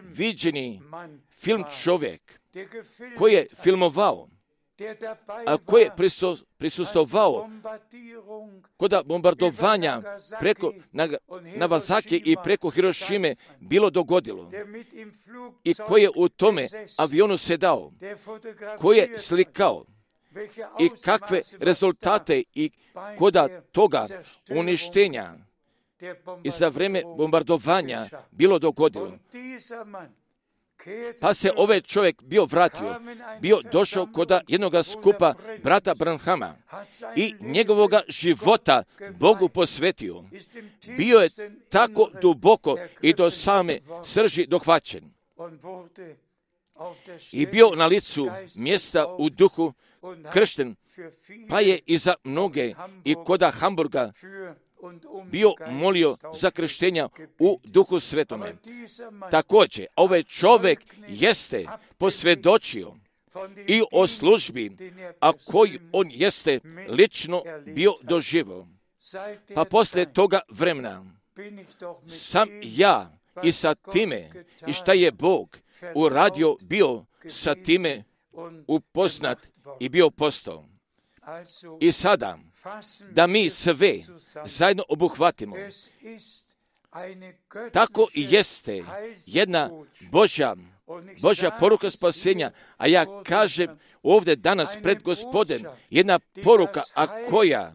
B: viđeni film čovjek koji je filmovao, a koji je prisustvovao kod bombardovanja preko Nagasaki i preko Hirošime bilo dogodilo i koji je u tome avionu sedao, koji je slikao i kakve rezultate i koda toga uništenja i za vrijeme bombardovanja bilo dogodilo. Pa se ovaj čovjek bio vratio, bio došao kod jednoga skupa brata Branhama i njegovoga života Bogu posvetio. Bio je tako duboko i do same srži dohvaćen. i bio na licu mjesta u duhu kršten, pa je i za mnoge i koda Hamburga bio molio za krštenja u duhu svetome. Također, ovaj čovjek jeste posvjedočio i o službi, a koji on jeste lično bio doživio. Pa poslije toga vremena sam ja i sa time i šta je Bog uradio bio sa time upoznat i bio postao. I sada da mi sve zajedno obuhvatimo. Tako i jeste jedna Božja, Božja poruka spasenja, a ja kažem ovdje danas pred Gospodem jedna poruka, a koja,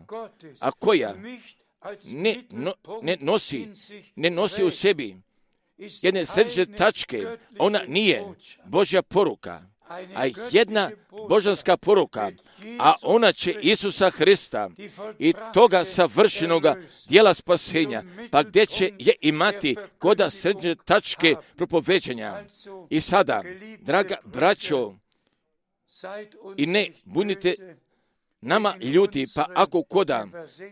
B: a koja ne, no, ne nosi, ne nosi u sebi jedne središnje tačke, ona nije Božja poruka, a jedna božanska poruka, a ona će Isusa Hrista i toga savršenoga dijela spasenja, pa gdje će je imati koda središnje tačke propoveđenja. I sada, draga braćo, i ne bunite nama ljuti, pa ako koda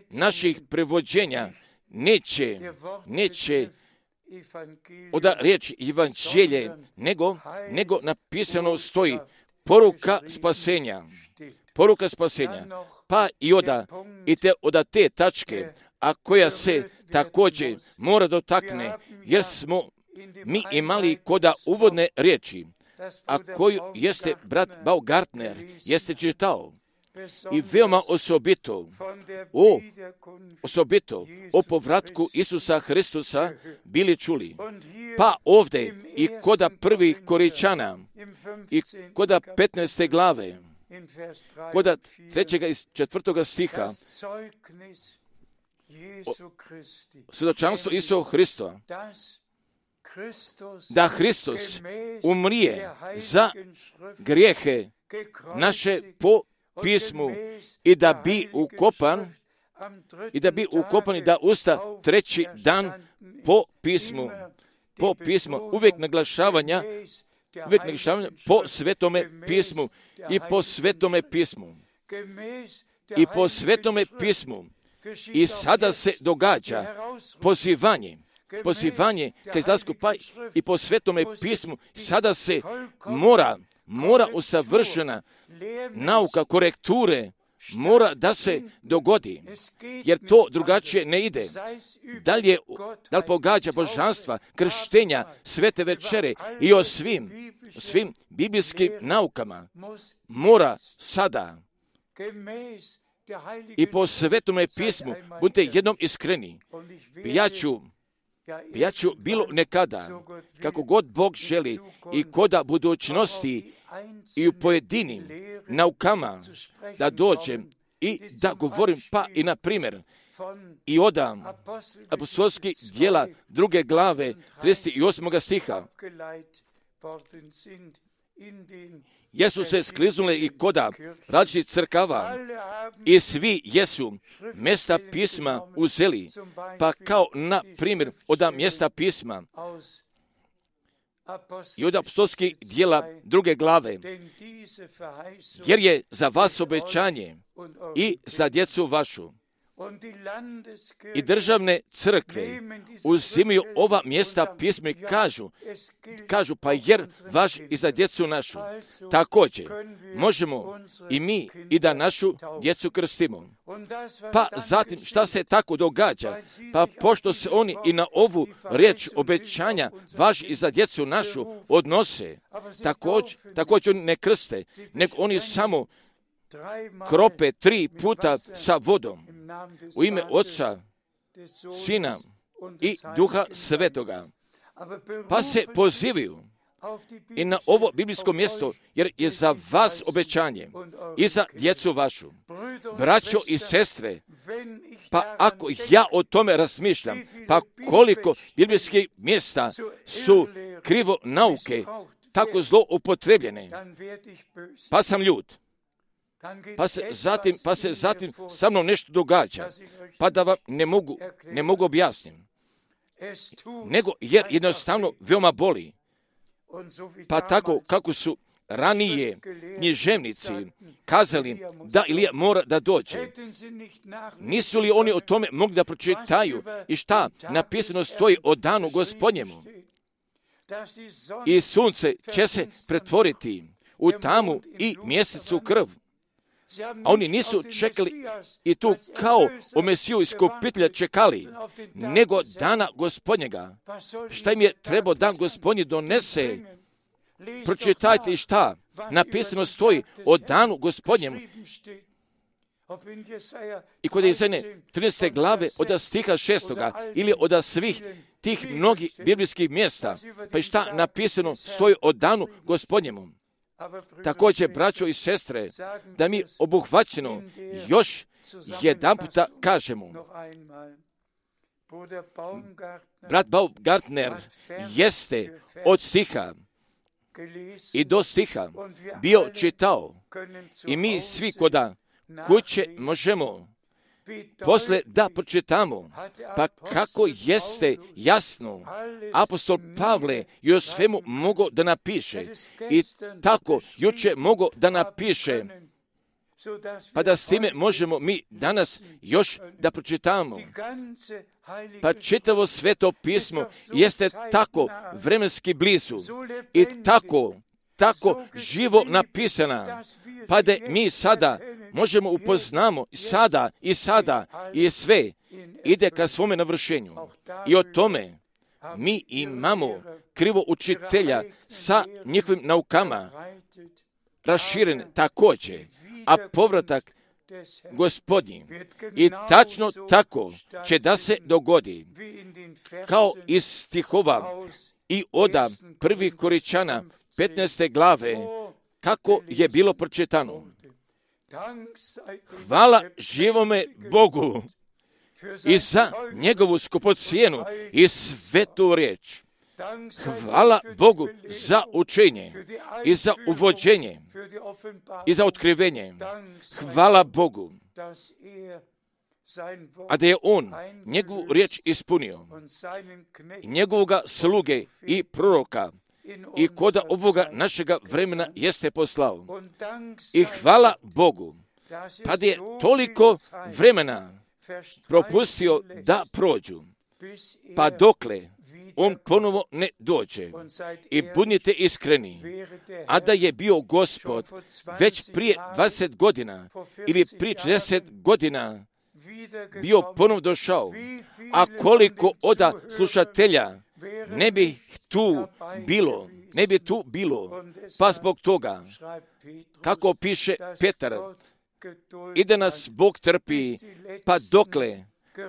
B: naših prevođenja neće, neće oda riječ evanđelje, nego, nego napisano stoji poruka spasenja, poruka spasenja, pa i oda, i te oda te tačke, a koja se također mora dotakne, jer smo mi imali koda uvodne riječi, a koju jeste brat Baumgartner jeste čitao. I veoma osobito, o, osobito o povratku Isusa Hristusa bili čuli. Pa ovdje i koda prvih Koričana i koda petnaeste glave, koda trećega i četvrtoga stiha, svjedočanstvo Isusa Hrista, da Hristos umrije za grijehe naše po pismu i da bi ukopan i da bi ukopan i da usta treći dan po pismu, po pismu, uvijek naglašavanja, uvijek naglašavanja po svetome pismu i po svetome pismu i po svetome pismu. I sada se događa pozivanje, pozivanje ka izlasku, pa i po svetome pismu sada se mora, mora usavršena nauka korekture mora da se dogodi, jer to drugačije ne ide. Da li, je, da li pogađa božanstva, krštenja, svete večere i o svim, o svim biblijskim naukama mora sada i po svetome pismu, budite jednom iskreni. Ja ću, ja ću bilo nekada, kako god Bog želi i koda budućnosti i u pojedinim naukama da dođem i da govorim, pa i na primjer i odam apostolskih djela druge glave trideset osmog stiha. Jesu se skliznule i koda različitih crkava i svi jesu mjesta pisma uzeli, pa kao na primjer od mjesta pisma i od apostolskih djela druge glave, jer je za vas obećanje i za djecu vašu. I državne crkve uzimaju ova mjesta pisma i kažu, kažu pa jer vaš i za djecu našu. Također možemo i mi i da našu djecu krstimo. Pa zatim šta se tako događa? Pa pošto se oni i na ovu riječ obećanja vaš i za djecu našu odnose, također, također oni ne krste, nego oni samo krope tri puta sa vodom u ime Otca, Sina i Duha Svetoga. Pa se pozivaju i na ovo biblijsko mjesto, jer je za vas obećanje i za djecu vašu. Braćo i sestre, pa ako ja o tome razmišljam, pa koliko biblijskih mjesta su krivo nauke tako zlo upotrebljene, pa sam ljut. Pa se zatim, pa se zatim sa mnom nešto događa, pa da vam ne mogu, ne mogu objasniti. Nego jer jednostavno veoma boli. Pa tako kako su ranije književnici kazali da Ilija mora da dođe, nisu li oni o tome mogli da pročitaju i šta napisano stoji o danu Gospodnjemu? I sunce će se pretvoriti u tamu i mjesec u krv. A oni nisu čekali i tu kao o Mesiju iskupitelja čekali, nego dana Gospodnjega. Šta im je trebao dan Gospodnji donese? Pročitajte i šta napisano stoji o danu Gospodnjemu. I kod Izaije trinaeste glave od stiha šestoga ili od svih tih mnogih biblijskih mjesta, pa i šta napisano stoji o danu Gospodnjemu. Također, braćo i sestre, da mi obuhvaćeno još jedan puta kažemo. Brat Baumgartner jeste od stiha i do stiha bio čitao i mi svi koda kuće možemo posle da pročitamo, pa kako jeste jasno apostol Pavle i o svemu mogao da napiše i tako juče mogao da napiše, pa da s time možemo mi danas još da pročitamo. Pa čitavo sveto pismo jeste tako vremenski blizu i tako, tako živo napisana, pa da mi sada možemo upoznamo sada i sada i sve ide ka svome navršenju. I o tome mi imamo krivo učitelja sa njihovim naukama raširen također, a povratak Gospodnji. I tačno tako će da se dogodi, kao iz stihova i oda prvih Koričana petnaeste glave, kako je bilo pročitano. Hvala živome Bogu i za njegovu skupocijenu i svetu riječ. Hvala Bogu za učenje i za uvođenje i za otkrivenje. Hvala Bogu, a da je On njegovu riječ ispunio, njegovoga sluge i proroka i koda ovoga našega vremena jeste poslao. I hvala Bogu, pa da je toliko vremena propustio da prođu, pa dokle On ponovo ne dođe. I budite iskreni, a da je bio Gospod već prije dvadeset godina ili prije četrdeset godina bio ponovo došao, a koliko oda slušatelja ne bi tu bilo, ne bi tu bilo, pa zbog toga, kako piše Petar, i da nas Bog trpi, pa dokle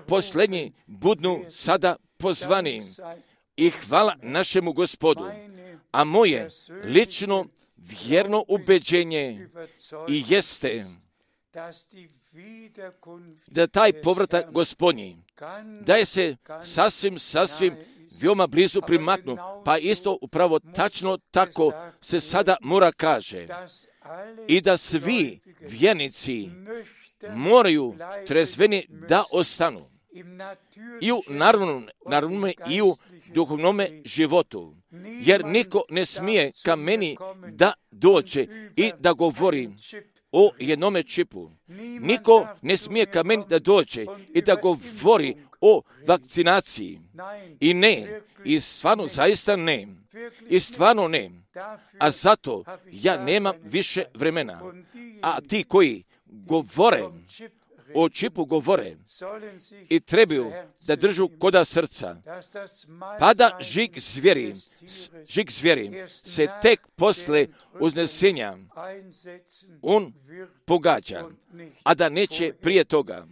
B: posljednji budnu sada pozvani. I hvala našemu Gospodu, a moje lično vjerno ubeđenje i jeste da taj povratak Gospodnji, da je se sasvim, sasvim veoma blizu primaknu, pa isto upravo tačno tako se sada mora kaže i da svi vjernici moraju trezveni da ostanu i u naravnom, naravnom i u duhovnome životu, jer niko ne smije ka meni da dođe i da govori o jednome čipu. Niko ne smije ka meni da dođe i da govori o vakcinaciji. I ne, i stvarno zaista ne, i stvarno ne. A zato ja nemam više vremena. A ti koji govore o čipu govore i trebaju da držu koda srca, pa da žig zvijeri, žig zvijeri se tek posle uznesenja on pogađa, a da neće prije toga.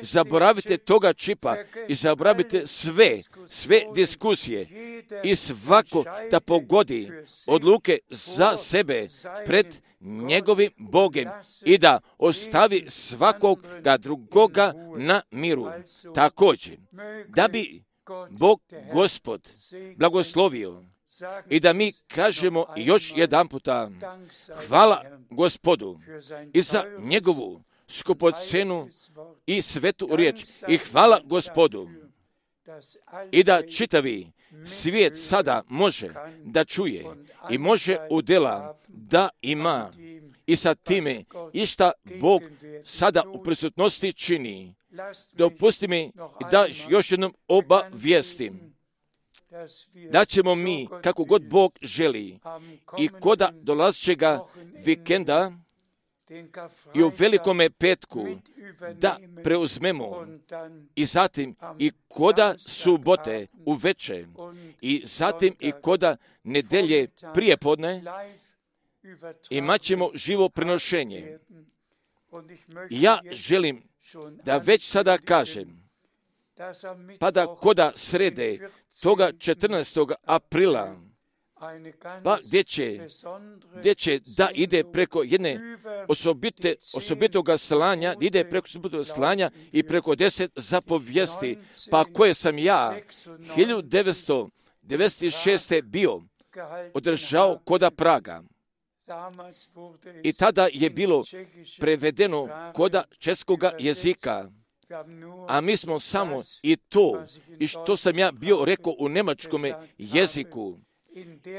B: Zaboravite toga čipa i zaboravite sve, sve diskusije i svako da pogodi odluke za sebe pred njegovim Bogem i da ostavi svakog da drugoga na miru. Također, da bi Bog Gospod blagoslovio i da mi kažemo još jedan puta hvala Gospodu i za njegovu skupocenu i svetu riječ i hvala Gospodu i da čitavi svijet sada može da čuje i može u dela da ima i sa time i šta Bog sada u prisutnosti čini. Dopusti mi da još jednom obavijestim da ćemo mi, kako god Bog želi, i koda dolazećega vikenda i u velikome petku da preuzmemo i zatim i koda subote uveče i zatim i koda nedelje prijepodne imat ćemo živo prenošenje. Ja želim da već sada kažem, pa da koda srede toga četrnaestog aprila, pa gdje će, gdje će da ide preko jedne osobite, osobitoga slanja, da ide preko osobitoga slanja i preko deset zapovijesti, pa koje sam ja hiljadu devetsto devedeset šeste bio održao koda Praga. I tada je bilo prevedeno koda českoga jezika, a mi smo samo i to, i što sam ja bio rekao u njemačkome jeziku,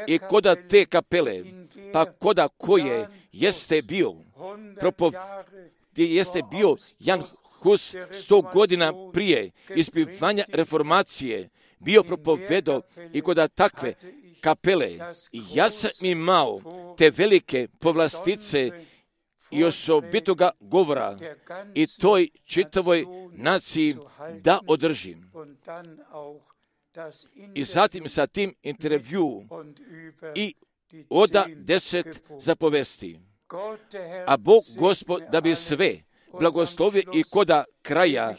B: i koda te kapele, pa koda koje jeste bio, propov, gdje jeste bio Jan Hus sto godina prije ispivanja reformacije, bio propovedo i koda takve kapele, ja sam imao te velike povlastice i osobitoga govora i toj čitavoj naciji da održim. I zatim sa tim intervju i oda deset zapovesti. A Bog Gospod da bi sve blagoslovio i koda kraja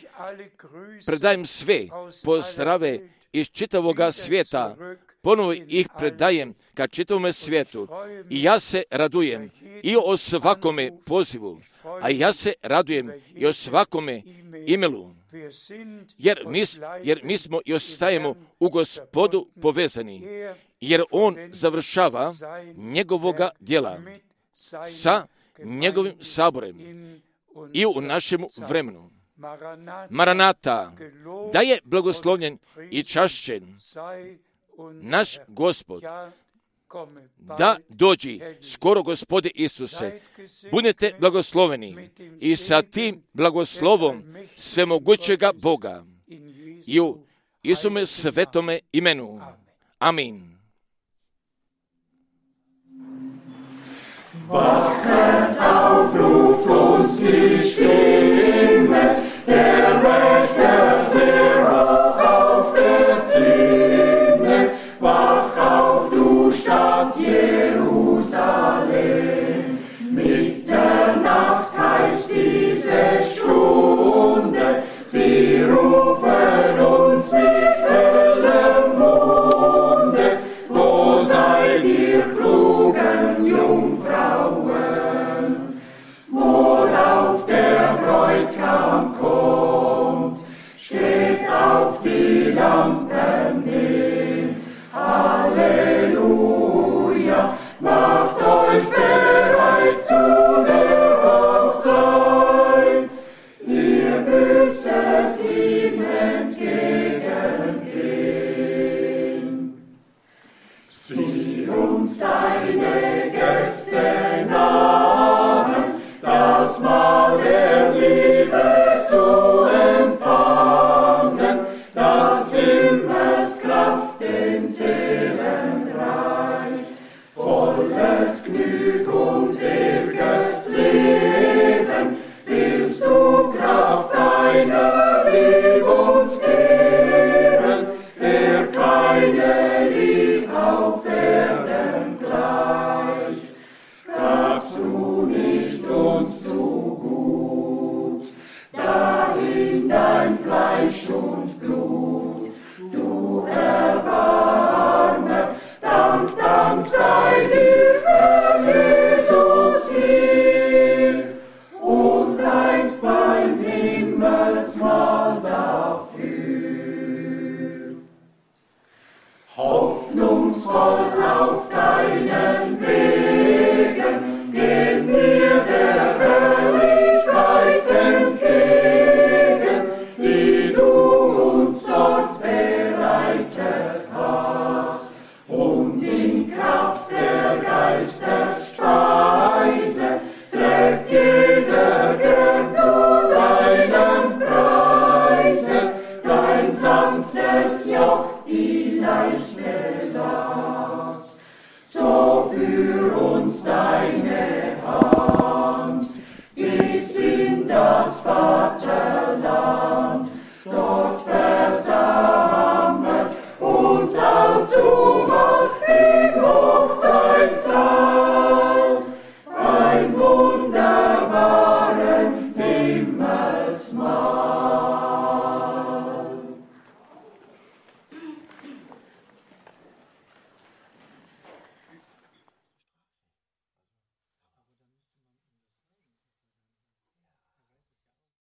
B: predajem sve pozdrave iz čitavoga svijeta, ponovo ih predajem ka čitavome svijetu i ja se radujem i o svakome pozivu, a ja se radujem i o svakome imelu, jer mi, jer mi smo i ostajemo u Gospodu povezani, jer On završava njegovoga djela sa njegovim saborem i u našemu vremenu. Maranata, da je blagoslovljen i čašćen naš Gospod, da dođi skoro Gospode Isuse. Budete blagosloveni i sa tim blagoslovom svemogućega Boga i u Isume svetome imenu. Amin.
C: Wachet auf, ruft uns die Stimme, der Wächter sehr hoch auf der Zinne. Wach auf, du Stadt Jerusalem, Mitternacht heißt diese Stunde, sie rufen uns mit hellem Munde, wo seid ihr klugen Jungfrauen, wohl auf der Bräutigam kommt.